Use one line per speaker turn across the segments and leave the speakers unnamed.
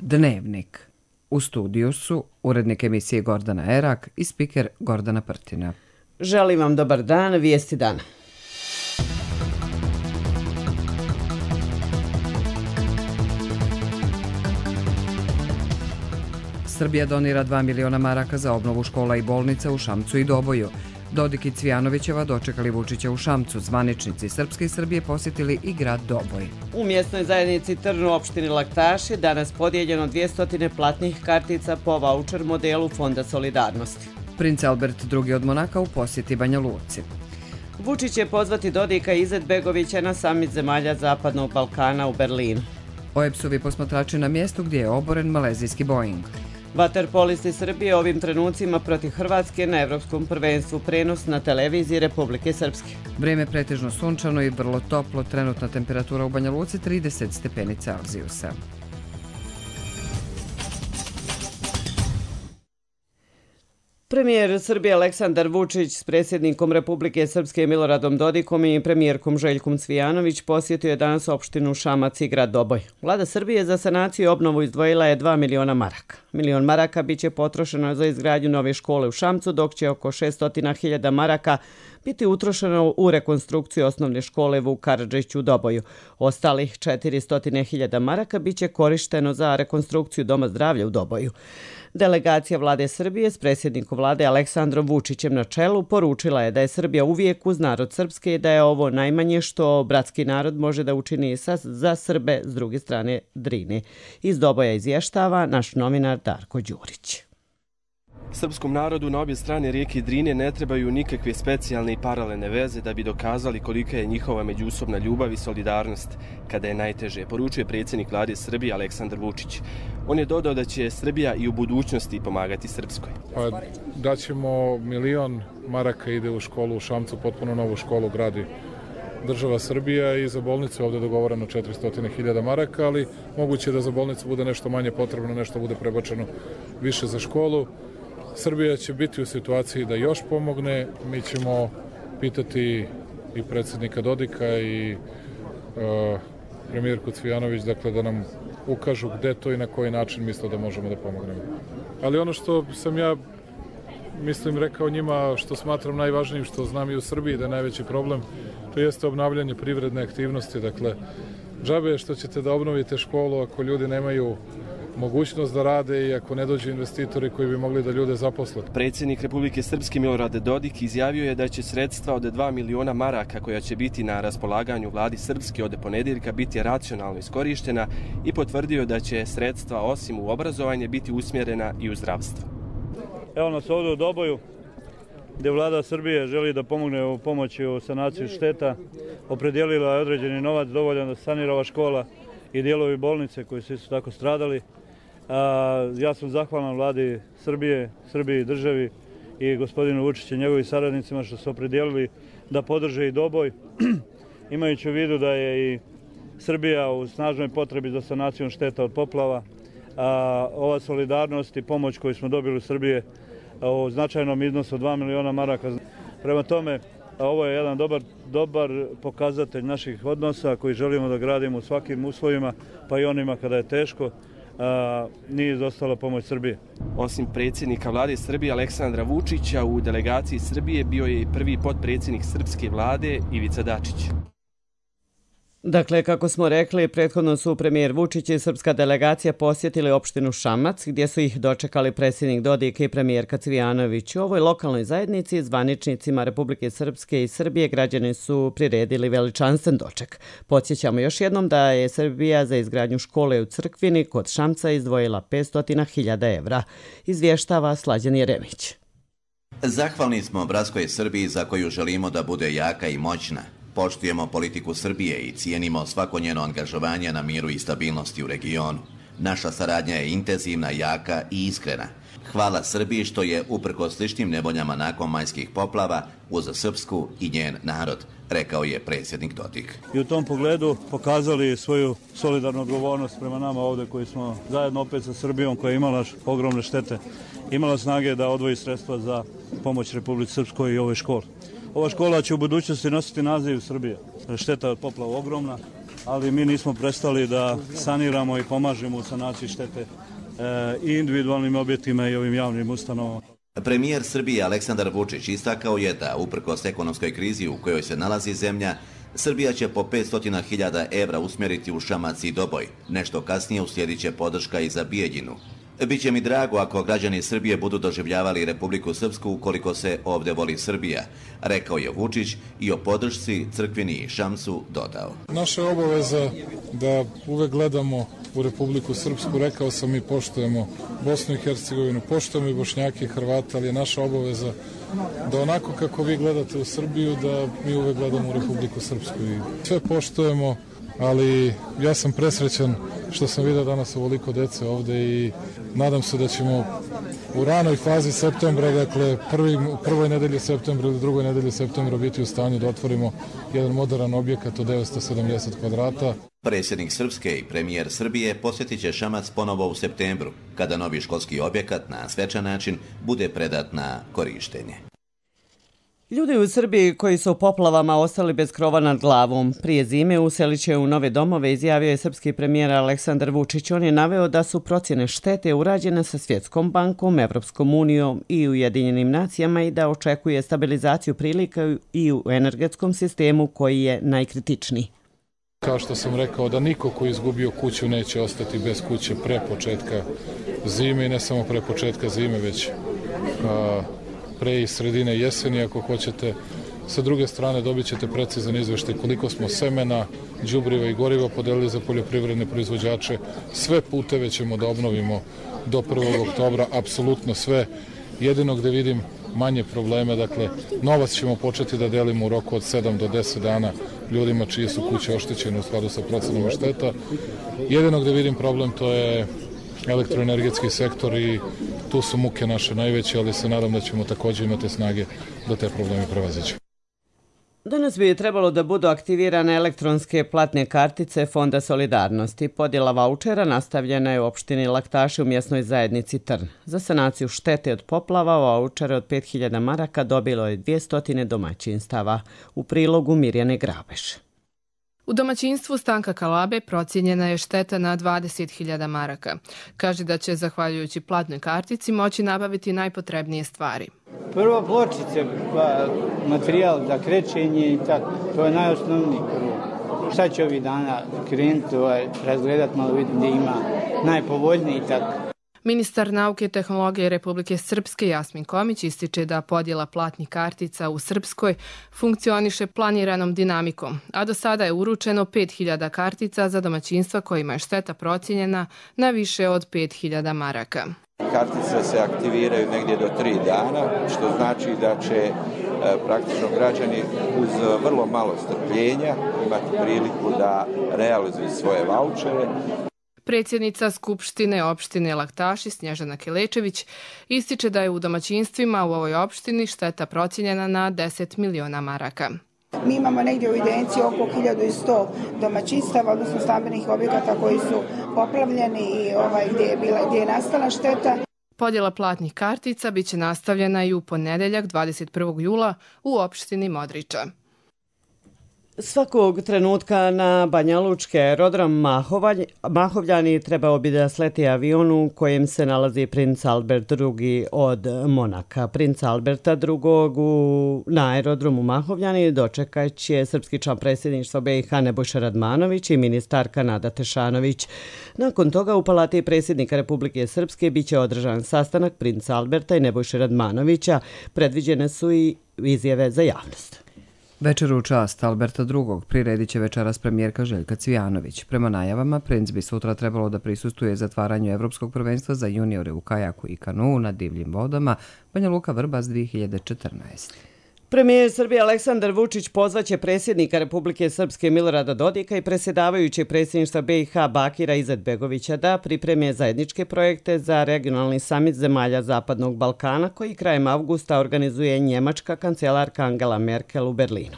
Dnevnik. U studiju su urednik emisije Gordana Erak i spiker Gordana Prtina.
Želim vam dobar dan, vijesti dana.
Srbija donira 2 miliona maraka za obnovu škola i bolnica u Šamcu i Doboju. Dodik i Cvijanovićeva dočekali Vučića u Šamcu. Zvaničnici Srpske i Srbije posjetili i grad Doboj.
U mjesnoj zajednici Trn u opštini Laktaši danas podijeljeno 200 platnih kartica po vaučer modelu Fonda solidarnosti.
Princ Albert II od Monaka u posjeti Banja Luci.
Vučić će pozvati Dodika i Izetbegovića na samit zemalja Zapadnog Balkana u Berlinu.
OEBS-ovi posmatrači na mjestu gdje je oboren malezijski Boeing.
Vaterpolisti Srbije ovim trenucima protiv Hrvatske na Evropskom prvenstvu, prenos na televiziji Republike Srpske.
Vrijeme pretežno sunčano i vrlo toplo, trenutna temperatura u Banja Luci 30 stepeni Celzijusa.
Premijer Srbije Aleksandar Vučić s predsjednikom Republike Srpske Miloradom Dodikom i premijerkom Željkom Cvijanović posjetio je danas opštinu Šamac i grad Doboj. Vlada Srbije za sanaciju i obnovu izdvojila je 2 miliona maraka. Milion maraka biće potrošeno za izgradnju nove škole u Šamcu, dok će oko 600.000 maraka biti utrošeno u rekonstrukciju osnovne škole Vuk Karadžić u Doboju. Ostalih 400.000 maraka biće korišteno za rekonstrukciju Doma zdravlja u Doboju. Delegacija vlade Srbije s predsjednikom vlade Aleksandrom Vučićem na čelu poručila je da je Srbija uvijek uz narod srpske i da je ovo najmanje što bratski narod može da učini za Srbe s druge strane Drine. Iz Doboja izvještava naš novinar Darko Đurić.
Srpskom narodu na obje strane rijeke Drine ne trebaju nikakve specijalne i paralelne veze da bi dokazali kolika je njihova međusobna ljubav i solidarnost kada je najteže, poručuje predsjednik vlade Srbije Aleksandar Vučić. On je dodao da će Srbija i u budućnosti pomagati Srpskoj.
Daćemo milion maraka ide u školu u Šamcu, potpuno novu školu gradi država Srbija i za bolnicu ovdje dogovoreno 400.000 maraka, ali moguće da za bolnicu bude nešto manje potrebno, nešto bude prebačeno više za školu. Srbija će biti u situaciji da još pomogne. Mi ćemo pitati i predsjednika Dodika i premijerku Cvijanović, dakle, da nam ukažu gde to i na koji način misle da možemo da pomognemo. Ali ono što sam ja, mislim, rekao njima, što smatram najvažnijim, što znam i u Srbiji da je najveći problem, to jeste obnavljanje privredne aktivnosti. Dakle, džabe je što ćete da obnovite školu ako ljudi nemaju mogućnost da rade i ako ne dođu investitori koji bi mogli da ljude zaposle.
Predsjednik Republike Srpske Milorad Dodik izjavio je da će sredstva od 2 miliona maraka koja će biti na raspolaganju vladi Srpske od ponedjeljka biti racionalno iskorištena i potvrdio da će sredstva osim u obrazovanje biti usmjerena i u zdravstvo.
Evo nas ovdje u Doboju gdje vlada Srbije želi da pomogne u pomoći u sanaciju šteta. Opredijelila je određeni novac dovoljan da sanira ova škola i dijelovi bolnice koji su isto tako stradali. Ja sam zahvalan vladi Srbije, Srbiji državi i gospodinu Vučiću i njegovim saradnicima što su opredijelili da podrže i Doboj, imajući u vidu da je i Srbija u snažnoj potrebi za sanacijom šteta od poplava. Ova solidarnost i pomoć koju smo dobili u Srbije u značajnom iznosu od 2 miliona maraka. Prema tome, ovo je jedan dobar pokazatelj naših odnosa koji želimo da gradimo u svakim uslovima, pa i onima kada je teško. Nije izostala pomoć Srbije.
Osim predsjednika vlade Srbije Aleksandra Vučića, u delegaciji Srbije bio je i prvi potpredsjednik srpske vlade Ivica Dačić.
Dakle, kako smo rekli, prethodno su premijer Vučić i srpska delegacija posjetili opštinu Šamac, gdje su ih dočekali predsjednik Dodik i premijerka Cvijanović. U ovoj lokalnoj zajednici, zvaničnicima Republike Srpske i Srbije, građani su priredili veličanstven doček. Podsjećamo još jednom da je Srbija za izgradnju škole u Crkvini kod Šamca izdvojila 500.000 evra. Izvještava Slađan Jeremić.
Zahvalni smo bratskoj Srbiji za koju želimo da bude jaka i moćna. Poštujemo politiku Srbije i cijenimo svako njeno angažovanje na miru i stabilnosti u regionu. Naša saradnja je intenzivna, jaka i iskrena. Hvala Srbiji što je, uprkos sličnim nevoljama nakon majskih poplava, uz Srpsku i njen narod, rekao je predsjednik Dodik.
I u tom pogledu pokazali svoju solidarnu odgovornost prema nama ovdje koji smo zajedno opet sa Srbijom koja je imala ogromne štete, imala snage da odvoji sredstva za pomoć Republici Srpskoj i ovoj školi. Ova škola će u budućnosti nositi naziv Srbije. Šteta od poplava ogromna. ali mi nismo prestali da saniramo i pomažemo u sanaciji štete i individualnim objektima i ovim javnim ustanovama.
Premijer Srbije Aleksandar Vučić istakao je da, uprkos ekonomskoj krizi u kojoj se nalazi zemlja, Srbija će po 500.000 evra usmjeriti u Šamac i Doboj. Nešto kasnije uslijedit će podrška i za Bijeljinu. Biće mi drago ako građani Srbije budu doživljavali Republiku Srpsku ukoliko se ovdje voli Srbija, rekao je Vučić i o podršci Crkvini i Šamcu dodao.
Naša je obaveza da uvek gledamo u Republiku Srpsku, rekao sam i poštujemo Bosnu i Hercegovinu, poštujemo i Bošnjake i Hrvate, ali je naša obaveza da onako kako vi gledate u Srbiju, da mi uvek gledamo u Republiku Srpsku i sve poštujemo, ali ja sam presrećan što sam vidio danas ovoliko dece ovde i nadam se da ćemo u ranoj fazi septembra, dakle prvoj nedelji septembra ili drugoj nedelji septembra biti u stanju da otvorimo jedan moderan objekat od 970 kvadrata.
Predsjednik Srpske i premijer Srbije posjetit će Šamac ponovo u septembru, kada novi školski objekat na svečan način bude predat na korištenje.
Ljudi u Srbiji koji su u poplavama ostali bez krova nad glavom prije zime uselit će u nove domove, izjavio je srpski premijer Aleksandar Vučić. On je naveo da su procjene štete urađene sa Svjetskom bankom, Evropskom unijom i Ujedinjenim nacijama i da očekuje stabilizaciju prilika i u energetskom sistemu koji je najkritičniji.
Kao što sam rekao, da niko ko je izgubio kuću neće ostati bez kuće pre početka zime i ne samo pre početka zime, već pre i sredine jeseni, ako hoćete. Sa druge strane dobit ćete precizan izveštaj koliko smo semena, đubriva i goriva podelili za poljoprivredne proizvođače. Sve puteve ćemo da obnovimo do 1. oktobra, apsolutno sve. Jedino gde vidim manje probleme, dakle, novac ćemo početi da delimo u roku od 7 do 10 dana ljudima čije su kuće oštećene u skladu sa procenama šteta. Jedino gde vidim problem to je elektroenergetski sektor i tu su muke naše najveće, ali se nadam da ćemo također imati snage da te probleme prevaziđemo.
Danas bi trebalo da budu aktivirane elektronske platne kartice Fonda solidarnosti. Podjela vaučera nastavljena je u opštini Laktaši u mjesnoj zajednici Trn. Za sanaciju štete od poplava vaučere od 5.000 maraka dobilo je 200 domaćinstava. U prilogu Mirjane Grabeš.
U domaćinstvu Stanka Kalabe procijenjena je šteta na 20.000 maraka. Kaže da će, zahvaljujući platnoj kartici, moći nabaviti najpotrebnije stvari.
Prvo pločice, materijal za krečenje i tako, to je najosnovniji prvo. Šta će ovih dana krenuti, razgledati, malo vidjeti gdje ima najpovoljniji i tako.
Ministar nauke i tehnologije Republike Srpske Jasmin Komić ističe da podjela platnih kartica u Srpskoj funkcioniše planiranom dinamikom, a do sada je uručeno 5.000 kartica za domaćinstva kojima je šteta procijenjena na više od 5.000 maraka.
Kartice se aktiviraju negdje do 3 dana, što znači da će praktično građani uz vrlo malo strpljenja imati priliku da realizuju svoje vaučere.
Predsjednica Skupštine opštine Laktaši Snježana Kelečević ističe da je u domaćinstvima u ovoj opštini šteta procijenjena na 10 miliona maraka.
Mi imamo negdje u evidenciji oko 1100 domaćinstava, odnosno stambenih objekata koji su poplavljeni i gdje je nastala šteta.
Podjela platnih kartica biće nastavljena i u ponedeljak 21. jula u opštini Modriča.
Svakog trenutka na Banjalučki aerodrom Mahovljani trebao bi da sleti avion u kojem se nalazi princ Albert II od Monaka. Princ Alberta II na aerodromu Mahovljani dočekat će srpski član predsjedništva BiH Nebojša Radmanović i ministarka Nada Tešanović. Nakon toga u Palati predsjednika Republike Srpske biće održan sastanak princa Alberta i Nebojše Radmanovića. Predviđene su i izjave za javnost.
Večeru u čast Alberta II. Priredit će večeras premijerka Željka Cvijanović. Prema najavama, princ bi sutra trebalo da prisustuje zatvaranju Evropskog prvenstva za juniore u kajaku i kanuu na divljim vodama Banja Luka Vrbas 2014.
Premijer Srbije Aleksandar Vučić pozvaće predsjednika Republike Srpske Milorada Dodika i predsjedavajućeg predsjedništva BiH Bakira Izetbegovića da pripreme zajedničke projekte za regionalni samit zemalja Zapadnog Balkana koji krajem avgusta organizuje njemačka kancelarka Angela Merkel u Berlinu.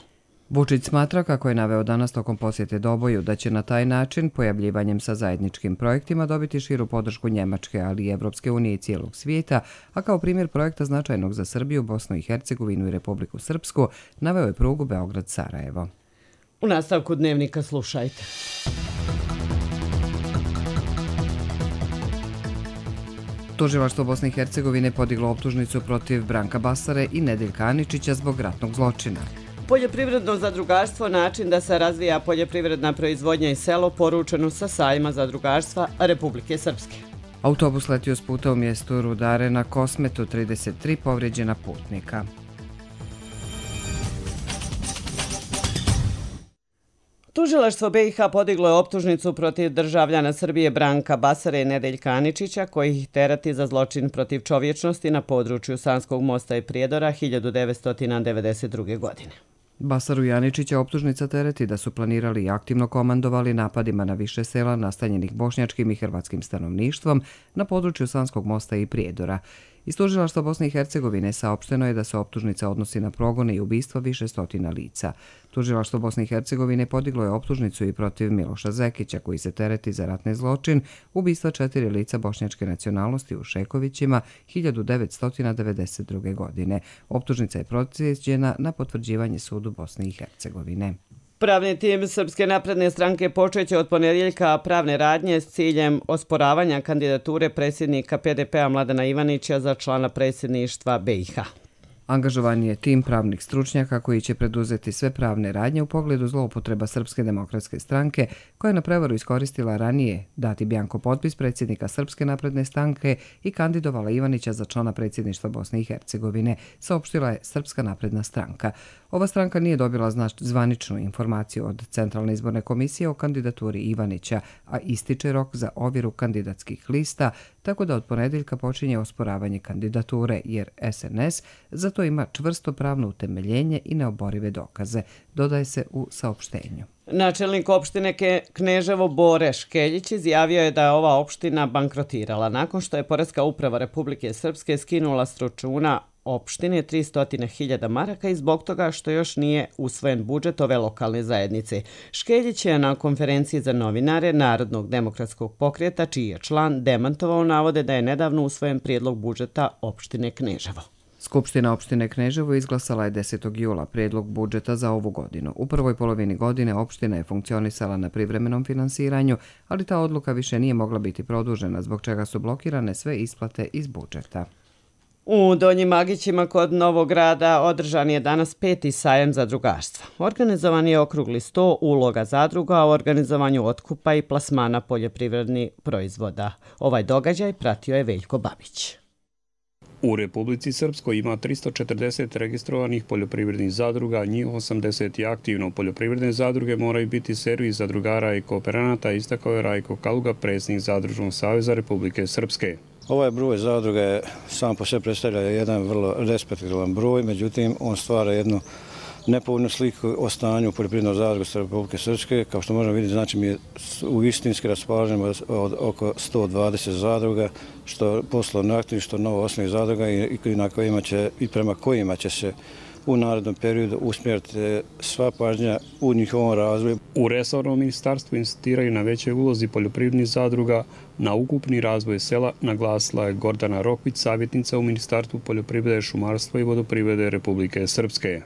Vučić smatra, kako je naveo danas tokom posjete Doboju, da će na taj način, pojavljivanjem sa zajedničkim projektima, dobiti širu podršku Njemačke, ali i Evropske unije i cijelog svijeta, a kao primjer projekta značajnog za Srbiju, Bosnu i Hercegovinu i Republiku Srpsku, naveo je prugu Beograd-Sarajevo.
U nastavku dnevnika slušajte.
Tužilaštvo Bosne i Hercegovine podiglo optužnicu protiv Branka Basare i Nedeljka Aničića zbog ratnog zločina.
Poljoprivredno zadrugarstvo, način da se razvija poljoprivredna proizvodnja i selo, poručeno sa sajma zadrugarstva Republike Srpske.
Autobus letio s puta u mjestu Rudare na Kosmetu, 33 povrijeđena putnika.
Tužilaštvo BiH podiglo je optužnicu protiv državljana Srbije Branka Basare i Nedeljka Aničića, koji ih terati za zločin protiv čovječnosti na području Sanskog mosta i Prijedora 1992. godine.
Basaru i Aničića optužnica tereti da su planirali i aktivno komandovali napadima na više sela nastanjenih bošnjačkim i hrvatskim stanovništvom na području Sanskog mosta i Prijedora. Iz Tužilaštva Bosne i Hercegovine saopšteno je da se optužnica odnosi na progone i ubistva više stotina lica. Tužilaštvo Bosne i Hercegovine podiglo je optužnicu i protiv Miloša Zekića, koji se tereti za ratni zločin ubistva 4 lica bošnjačke nacionalnosti u Šekovićima 1992. godine. Optužnica je proslijeđena na potvrđivanje sudu Bosne i Hercegovine.
Pravni tim Srpske napredne stranke počeće od ponedjeljka pravne radnje s ciljem osporavanja kandidature predsjednika PDP-a Mladena Ivanića za člana predsjedništva BiH.
Angažovan je tim pravnih stručnjaka koji će preduzeti sve pravne radnje u pogledu zloupotreba Srpske demokratske stranke, koja je na prevaru iskoristila ranije dati bjanko potpis predsjednika Srpske napredne stranke i kandidovala Ivanića za člana predsjedništva Bosne i Hercegovine, saopštila je Srpska napredna stranka. Ova stranka nije dobila zvaničnu informaciju od Centralne izborne komisije o kandidaturi Ivanića, a ističe rok za ovjeru kandidatskih lista, tako da od ponedjeljka počinje osporavanje kandidature, jer SNS za to ima čvrsto pravno utemeljenje i neoborive dokaze, dodaje se u saopštenju.
Načelnik opštine Kneževo Bore Škeljić izjavio je da je ova opština bankrotirala nakon što je Poreska uprava Republike Srpske skinula s računa opštine 300.000 maraka i zbog toga što još nije usvojen budžet ove lokalne zajednice. Škeljić je na konferenciji za novinare Narodnog demokratskog pokreta, čiji je član, demantovao navode da je nedavno usvojen prijedlog budžeta opštine Kneževo.
Skupština opštine Kneževo izglasala je 10. jula prijedlog budžeta za ovu godinu. U prvoj polovini godine opština je funkcionisala na privremenom finansiranju, ali ta odluka više nije mogla biti produžena, zbog čega su blokirane sve isplate iz budžeta.
U Donjim Agićima kod Novog Grada održan je danas 5. sajam zadrugarstva. Organizovan je okrugli sto uloga zadruga u organizovanju otkupa i plasmana poljoprivrednih proizvoda. Ovaj događaj pratio je Veljko Babić.
U Republici Srpskoj ima 340 registrovanih poljoprivrednih zadruga, njih 80 je aktivno. Poljoprivredne zadruge moraju biti servis zadrugara i kooperanata, istakao je Rajko Kaluga, predsjednik Zadružnog saveza Republike Srpske.
Ovaj broj zadruga je sam po sebi predstavlja jedan vrlo respektibilan broj, međutim on stvara jednu nepovoljnu sliku o stanju poljoprivrednog zadruga Republike Srpske. Kao što možemo vidjeti, znači mi u istinski raspolažemo od oko 120 zadruga, što poslovno aktivnih, što novo osnovnih zadruga i prema kojima će se u narednom periodu usmjeriti sva pažnja u njihovom razvoju.
U resornom ministarstvu insistiraju na većoj ulozi poljoprivrednih zadruga na ukupni razvoj sela, naglasila je Gordana Rokvić, savjetnica u Ministarstvu poljoprivrede, šumarstva i vodoprivrede Republike Srpske.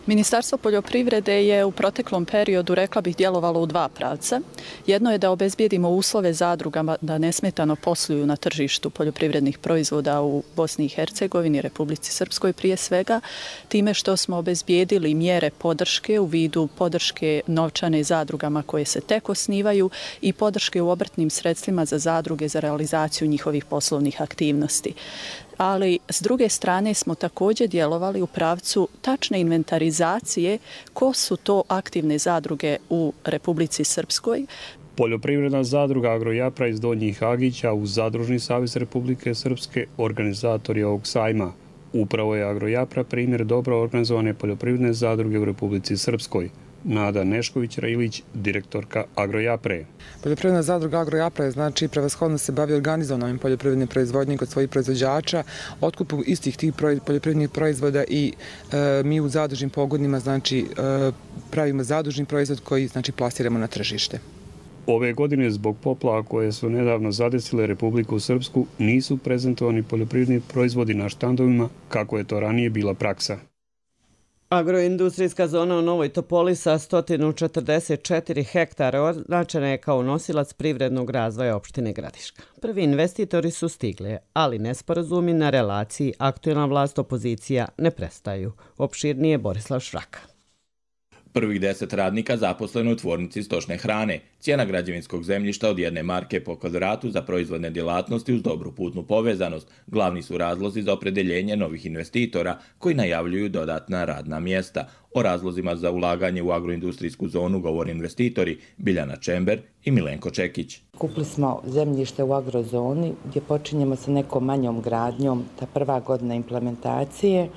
Ministarstvo poljoprivrede je u proteklom periodu, rekla bih, djelovalo u dva pravca. Jedno je da obezbijedimo uslove zadrugama da nesmetano posluju na tržištu poljoprivrednih proizvoda u Bosni i Hercegovini, Republici Srpskoj prije svega, time što smo obezbijedili mjere podrške u vidu podrške novčane zadrugama koje se tek osnivaju i podrške u obrtnim sredstvima za zadruge za realizaciju njihovih poslovnih aktivnosti. Ali s druge strane smo također djelovali u pravcu tačne inventarizacije ko su to aktivne zadruge u Republici Srpskoj.
Poljoprivredna zadruga Agrojapra iz Donjih Agića uz Zadružni savez Republike Srpske organizator je ovog sajma. Upravo je Agrojapra primjer dobro organizovane poljoprivredne zadruge u Republici Srpskoj. Nada Nešković-Rajilić, direktorka Agrojapre.
Poljoprivredna zadruga Agrojapre znači prevashodno se bavi organizovanjem poljoprivredne proizvodnje kod svojih proizvođača, otkupu istih tih poljoprivrednih proizvoda i mi u zadružnim pogodnima znači pravimo zadružni proizvod koji znači plasiramo na tržište.
Ove godine zbog poplava koje su nedavno zadesile Republiku Srpsku nisu prezentovani poljoprivredni proizvodi na štandovima kako je to ranije bila praksa.
Agroindustrijska zona u Novoj Topoli sa 144 hektara označena je kao nosilac privrednog razvoja opštine Gradiška. Prvi investitori su stigli, ali nesporazumi na relaciji aktuelna vlast opozicija ne prestaju. Opširnije Borislav Šraka.
Prvih 10 radnika zaposleno u tvornici stočne hrane. Cijena građevinskog zemljišta od 1 marke po kvadratu za proizvodne djelatnosti uz dobru putnu povezanost. Glavni su razlozi za opredeljenje novih investitora koji najavljuju dodatna radna mjesta. O razlozima za ulaganje u agroindustrijsku zonu govore investitori Biljana Čember i Milenko Čekić.
Kupili smo zemljište u agrozoni gdje počinjemo sa nekom manjom gradnjom, ta prva godina implementacije.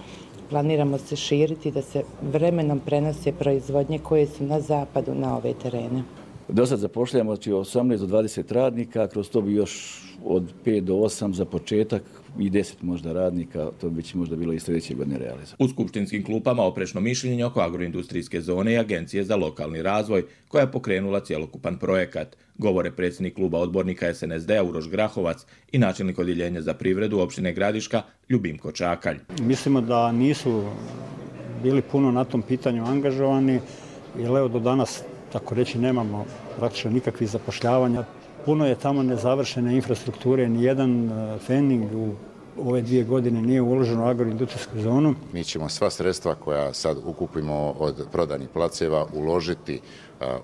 Planiramo se širiti da se vremenom prenose proizvodnje koje su na zapadu na ove terene.
Do sad zapošljamo 18 do 20 radnika, kroz to bi još od 5 do 8 za početak i 10 možda radnika, to bi možda bilo i sljedeće godine realizovano.
U skupštinskim klupama oprečno mišljenje oko agroindustrijske zone i Agencije za lokalni razvoj, koja je pokrenula cjelokupan projekat. Govore predsjednik kluba odbornika SNSD-a Uroš Grahovac i načelnik odjeljenja za privredu opštine Gradiška Ljubimko Čakalj.
Mislimo da nisu bili puno na tom pitanju angažovani, jer evo do danas, tako reći, nemamo praktično nikakvih zapošljavanja. Puno je tamo nezavršene infrastrukture, nijedan fening u ove 2 godine nije uložen u agroindustrijsku zonu.
Mi ćemo sva sredstva koja sad ukupimo od prodanih placeva uložiti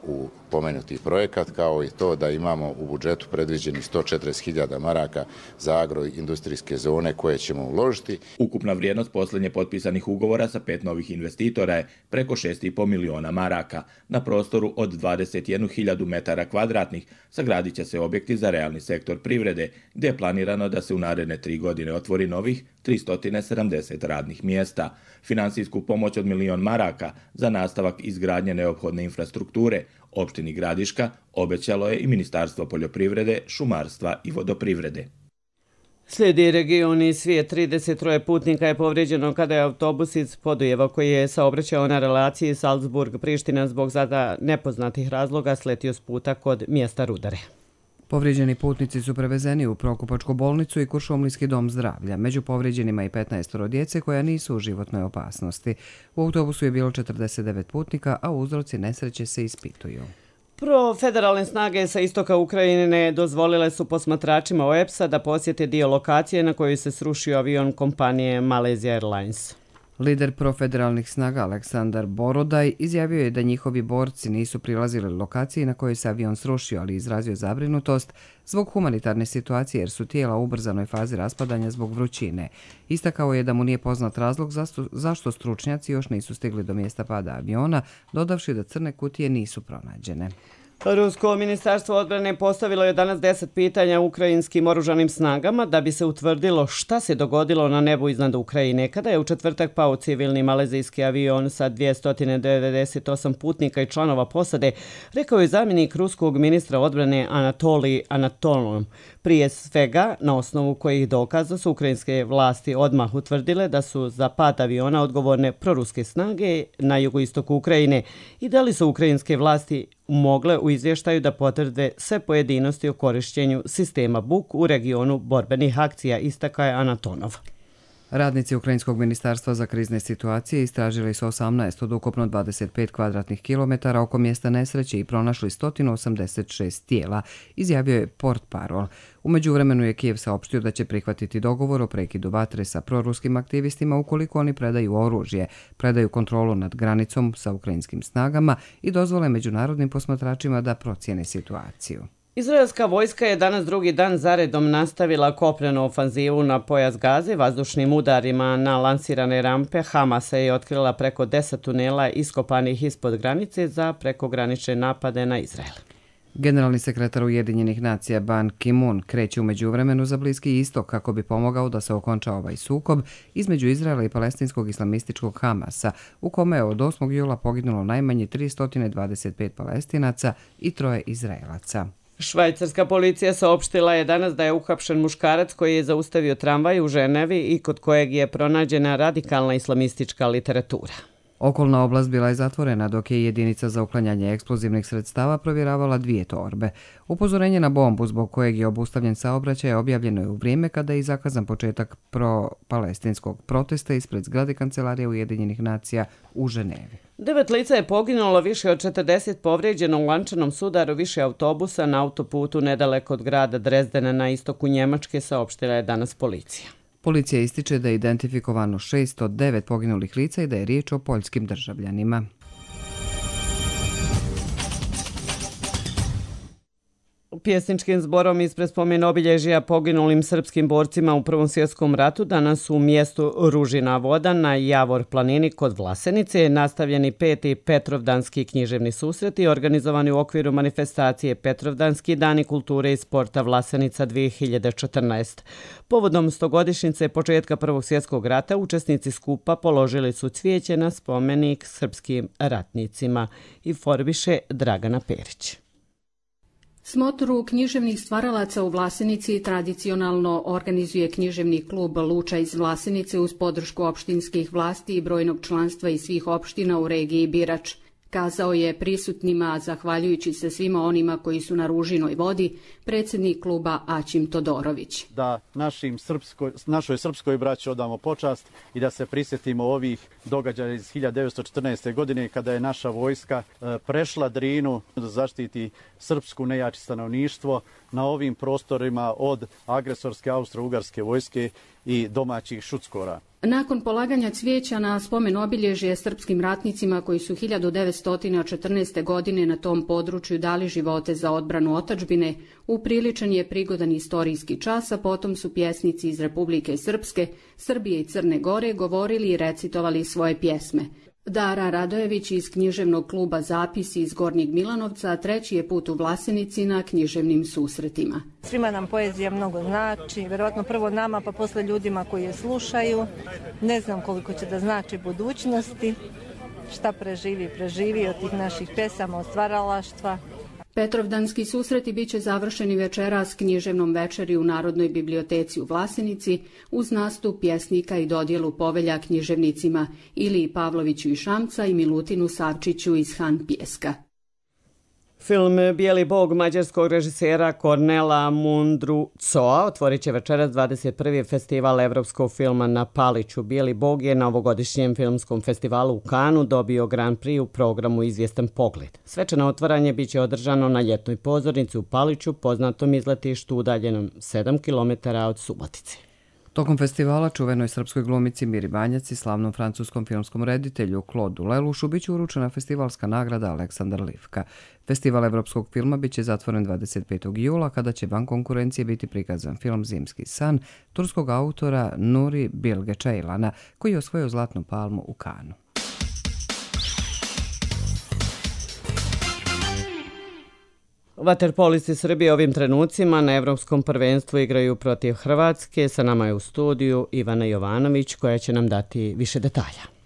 u pomenuti projekat, kao i to da imamo u budžetu predviđeni 140.000 maraka za agroindustrijske zone koje ćemo uložiti.
Ukupna vrijednost posljednje potpisanih ugovora sa 5 novih investitora je preko 6,5 miliona maraka. Na prostoru od 21.000 metara kvadratnih sagradit će se objekti za realni sektor privrede, gdje je planirano da se u naredne 3 godine otvori novih 370 radnih mjesta. Finansijsku pomoć od 1 milion maraka za nastavak izgradnje neophodne infrastrukture opštini Gradiška obećalo je i Ministarstvo poljoprivrede, šumarstva i vodoprivrede.
Slijedi region i svijet. 33 putnika je povrijeđeno kada je autobus iz Podujeva koji je saobraćao na relaciji Salzburg-Priština zbog zada nepoznatih razloga sletio s puta kod mjesta Rudare.
Povrijeđeni putnici su prevezeni u Prokupačku bolnicu i Kuršumlijski dom zdravlja. Među povrijeđenima i 15 djece koja nisu u životnoj opasnosti. U autobusu je bilo 49 putnika, a uzroci nesreće se ispituju.
Federalne snage sa istoka Ukrajine dozvolile su posmatračima OEPS-a da posjete dio lokacije na kojoj se srušio avion kompanije Malaysia Airlines.
Lider profederalnih snaga Aleksandar Borodaj izjavio je da njihovi borci nisu prilazili lokaciji na kojoj se avion srušio, ali izrazio zabrinutost zbog humanitarne situacije jer su tijela u ubrzanoj fazi raspadanja zbog vrućine. Istakao je da mu nije poznat razlog zašto stručnjaci još nisu stigli do mjesta pada aviona, dodavši da crne kutije nisu pronađene.
Rusko ministarstvo odbrane postavilo je danas 10 pitanja ukrajinskim oružanim snagama da bi se utvrdilo šta se dogodilo na nebu iznad Ukrajine kada je u četvrtak pao civilni malezijski avion sa 298 putnika i članova posade, rekao je zamjenik ruskog ministra odbrane Anatolij Anatolov. Prije svega, na osnovu kojih dokaza su ukrajinske vlasti odmah utvrdile da su za pad aviona odgovorne proruske snage na jugoistoku Ukrajine i da li su ukrajinske vlasti mogle u izvještaju da potvrde sve pojedinosti o korišćenju sistema BUK u regionu borbenih akcija, istakao je Anatonov.
Radnici Ukrajinskog ministarstva za krizne situacije istražili su 18 od ukupno 25 kvadratnih kilometara oko mjesta nesreće i pronašli 186 tijela, izjavio je portparol. U međuvremenu je Kijev saopštio da će prihvatiti dogovor o prekidu vatre sa proruskim aktivistima ukoliko oni predaju oružje, predaju kontrolu nad granicom sa ukrajinskim snagama i dozvole međunarodnim posmatračima da procijene situaciju.
Izraelska vojska je danas drugi dan zaredom nastavila kopnenu ofanzivu na pojas Gaze vazdušnim udarima na lansirane rampe. Hamasa je otkrila preko 10 tunela iskopanih ispod granice za prekogranične napade na Izrael.
Generalni sekretar Ujedinjenih nacija Ban Ki-moon kreće u međuvremenu za Bliski istok kako bi pomogao da se okonča ovaj sukob između Izraela i palestinskog islamističkog Hamasa, u kome je od 8. jula poginulo najmanje 325 palestinaca i 3 Izraelaca.
Švajcarska policija saopštila je danas da je uhapšen muškarac koji je zaustavio tramvaj u Ženevi i kod kojeg je pronađena radikalna islamistička literatura.
Okolna oblast bila je zatvorena dok je jedinica za uklanjanje eksplozivnih sredstava provjeravala 2 torbe. Upozorenje na bombu zbog kojeg je obustavljen saobraćaj objavljeno je u vrijeme kada je zakazan početak pro-palestinskog protesta ispred zgrade Kancelarije Ujedinjenih nacija u Ženevi.
9 lica je poginulo, više od 40 povrijeđeno u lančanom sudaru više autobusa na autoputu nedaleko od grada Drezdena na istoku Njemačke, saopštila je danas policija.
Policija ističe da je identifikovano 609 poginulih lica i da je riječ o poljskim državljanima.
Pjesničkim zborom ispred spomen obilježja poginulim srpskim borcima u Prvom svjetskom ratu danas u mjestu Ružina Voda na Javor planini kod Vlasenice nastavljeni 5. Petrovdanski književni susreti organizovani u okviru manifestacije Petrovdanski dani kulture i sporta Vlasenica 2014. Povodom 100-godišnjice početka Prvog svjetskog rata učesnici skupa položili su cvijeće na spomenik srpskim ratnicima, informiše Dragana Perić.
Smotru književnih stvaralaca u Vlasenici tradicionalno organizuje književni klub Luča iz Vlasenice uz podršku opštinskih vlasti i brojnog članstva iz svih opština u regiji Birač. Kazao je prisutnima, zahvaljujući se svima onima koji su na Ružinoj vodi, predsjednik kluba Aćim Todorović.
Da našoj srpskoj braći odamo počast i da se prisjetimo ovih događaja iz 1914. godine kada je naša vojska prešla Drinu da zaštiti srpsku nejači stanovništvo na ovim prostorima od agresorske austro-ugarske vojske i domaćih šuckora.
Nakon polaganja cvijeća na spomen obilježje srpskim ratnicima koji su 1914. godine na tom području dali živote za odbranu otadžbine, upriličen je prigodan istorijski čas, a potom su pjesnici iz Republike Srpske, Srbije i Crne Gore govorili i recitovali svoje pjesme. Dara Radojević iz književnog kluba Zapisi iz Gornjeg Milanovca treći je put u Vlasenici na književnim susretima.
Svima nam poezija mnogo znači, vjerojatno prvo nama pa posle ljudima koji je slušaju. Ne znam koliko će da znači budućnosti, šta preživi od tih naših pesama, od stvaralaštva.
Petrovdanski susreti bit će završeni večeras književnom večeri u Narodnoj biblioteci u Vlasenici uz nastup pjesnika i dodjelu povelja književnicima Iliji Pavloviću iz Šamca i Milutinu Savčiću iz Han Pjeska.
Film Bijeli bog mađarskog režisera Kornela Mundrucoa otvorit će večeras 21. festival evropskog filma na Paliću. Bijeli bog je na ovogodišnjem filmskom festivalu u Kanu dobio Grand Prix u programu Izvjestan pogled. Svečano otvaranje bit će održano na ljetnoj pozornici u Paliću, poznatom izletištu udaljenom 7 km od Subotice.
Tokom festivala čuvenoj srpskoj glumici Miri Banjac i slavnom francuskom filmskom reditelju Claude Lelouchu biće uručena festivalska nagrada Aleksandar Livka. Festival evropskog filma biće zatvoren 25. jula kada će van konkurencije biti prikazan film Zimski san turskog autora Nuri Bilge Ceylan'a koji je osvojio Zlatnu palmu u Kanu.
Vaterpolisti Srbije ovim trenucima na Evropskom prvenstvu igraju protiv Hrvatske. Sa nama je u studiju Ivana Jovanović koja će nam dati više detalja.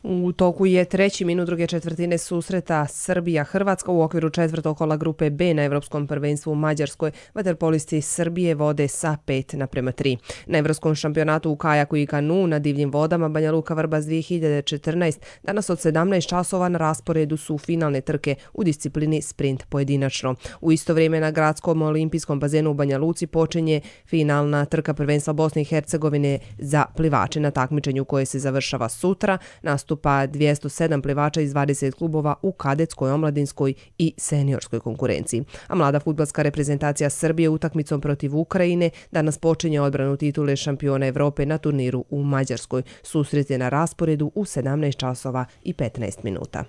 U toku je treći minut druge četvrtine susreta Srbija-Hrvatska u okviru četvrtog kola grupe B na Evropskom prvenstvu u Mađarskoj. Vaterpolisti Srbije vode sa 5:3. Na Evropskom šampionatu u kajaku i kanu na divljim vodama Banja Luka Vrbas 2014 danas od 17 časova na rasporedu su finalne trke u disciplini sprint pojedinačno. U isto vrijeme na gradskom olimpijskom bazenu u Banja Luci počinje finalna trka prvenstva Bosne i Hercegovine za plivače. Na takmičenju koje se završava sutra nastupa 207 plivača iz 20 klubova u kadetskoj, omladinskoj i seniorskoj konkurenciji. A mlada fudbalska reprezentacija Srbije utakmicom protiv Ukrajine danas počinje odbranu titule šampiona Evrope na turniru u Mađarskoj. Susret je na rasporedu u 17 časova i 15 minuta.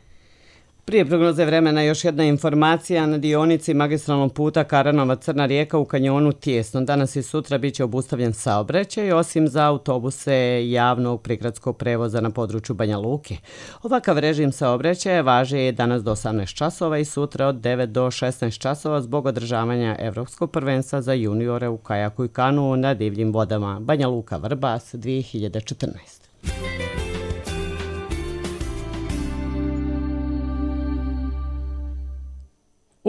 Prije prognoze vremena još jedna informacija na dionici magistralnog puta Karanova-Crna Rijeka u kanjonu Tijesno. Danas i sutra bit će obustavljen saobraćaj osim za autobuse javnog prigradskog prevoza na području Banja Luke. Ovakav režim saobraćaja važi je danas do 18 časova i sutra od 9 do 16 časova zbog održavanja Evropskog prvenstva za juniore u kajaku i kanu na divljim vodama Banja Luka Vrbas 2014.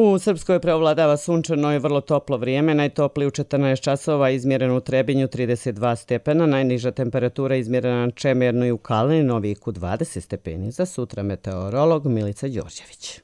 U Srpskoj preovladava sunčano i vrlo toplo vrijeme, najtoplije u 14 časova izmjereno u Trebinju 32 stepena, najniža temperatura izmjerena na Čemernu i u Kalini, Noviku 20 stepeni. Za sutra meteorolog Milica Đorđević.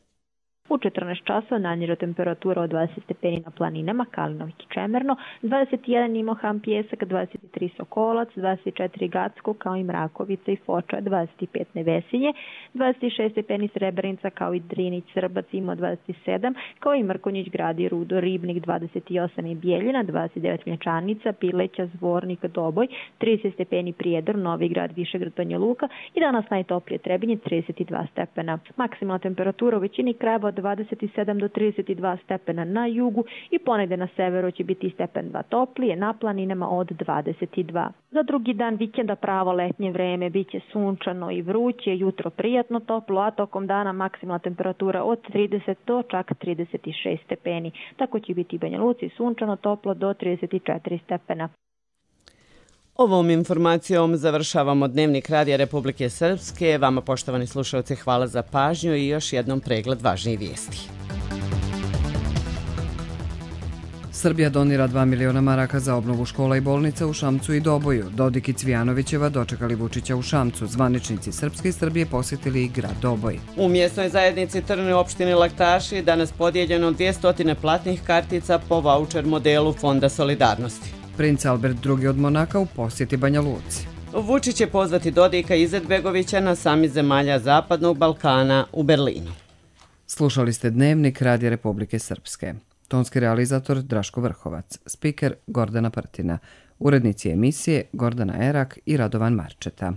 U 14 časova najniža temperatura od 20 stepeni na planinama Kalinovik i Čemerno, 21 Nimohan Pjesak, 23 Sokolac, 24 Gacko kao i Mrakovica i Foča, 25 Nevesinje, 26 stepeni Srebrenica kao i Drinić, Srbac ima 27, kao i Mrkonjić, Grad i Rudo, Ribnik 28 i Bijeljina, 29 Mlječanica, Pileća, Zvornik, Doboj, 30 stepeni Prijedor, Novi Grad, Višegrad, Banja Luka i danas najtoplije Trebinje 32 stepena. Maksimalna temperatura u većini krajeva od 27 do 32 stepena na jugu i ponegde na severu će biti stepen 2 toplije, na planinama od 22. Za drugi dan vikenda pravo letnje vreme biće sunčano i vruće, jutro prijatno toplo, a tokom dana maksimalna temperatura od 30 do čak 36 stepeni. Tako će biti i Banja Luci sunčano toplo do 34 stepena.
Ovom informacijom završavamo Dnevnik Radija Republike Srpske. Vama, poštovani slušalci, hvala za pažnju i još jednom pregled važnijih vijesti.
Srbija donira 2 miliona maraka za obnovu škola i bolnica u Šamcu i Doboju. Dodik i Cvijanovićeva dočekali Vučića u Šamcu. Zvaničnici Srpske i Srbije posjetili i grad Doboj.
U mjesnoj zajednici Trn u opštini Laktaši danas podijeljeno 200 platnih kartica po vaučer modelu Fonda solidarnosti.
Princ Albert II od Monaka u posjeti Banja Luci.
Vučić će pozvati Dodika i Izetbegovića na samit zemalja Zapadnog Balkana u Berlinu.
Slušali ste Dnevnik Radija Republike Srpske. Tonski realizator Draško Vrhovac, spiker Gordana Prtina, urednici emisije Gordana Erak i Radovan Marčeta.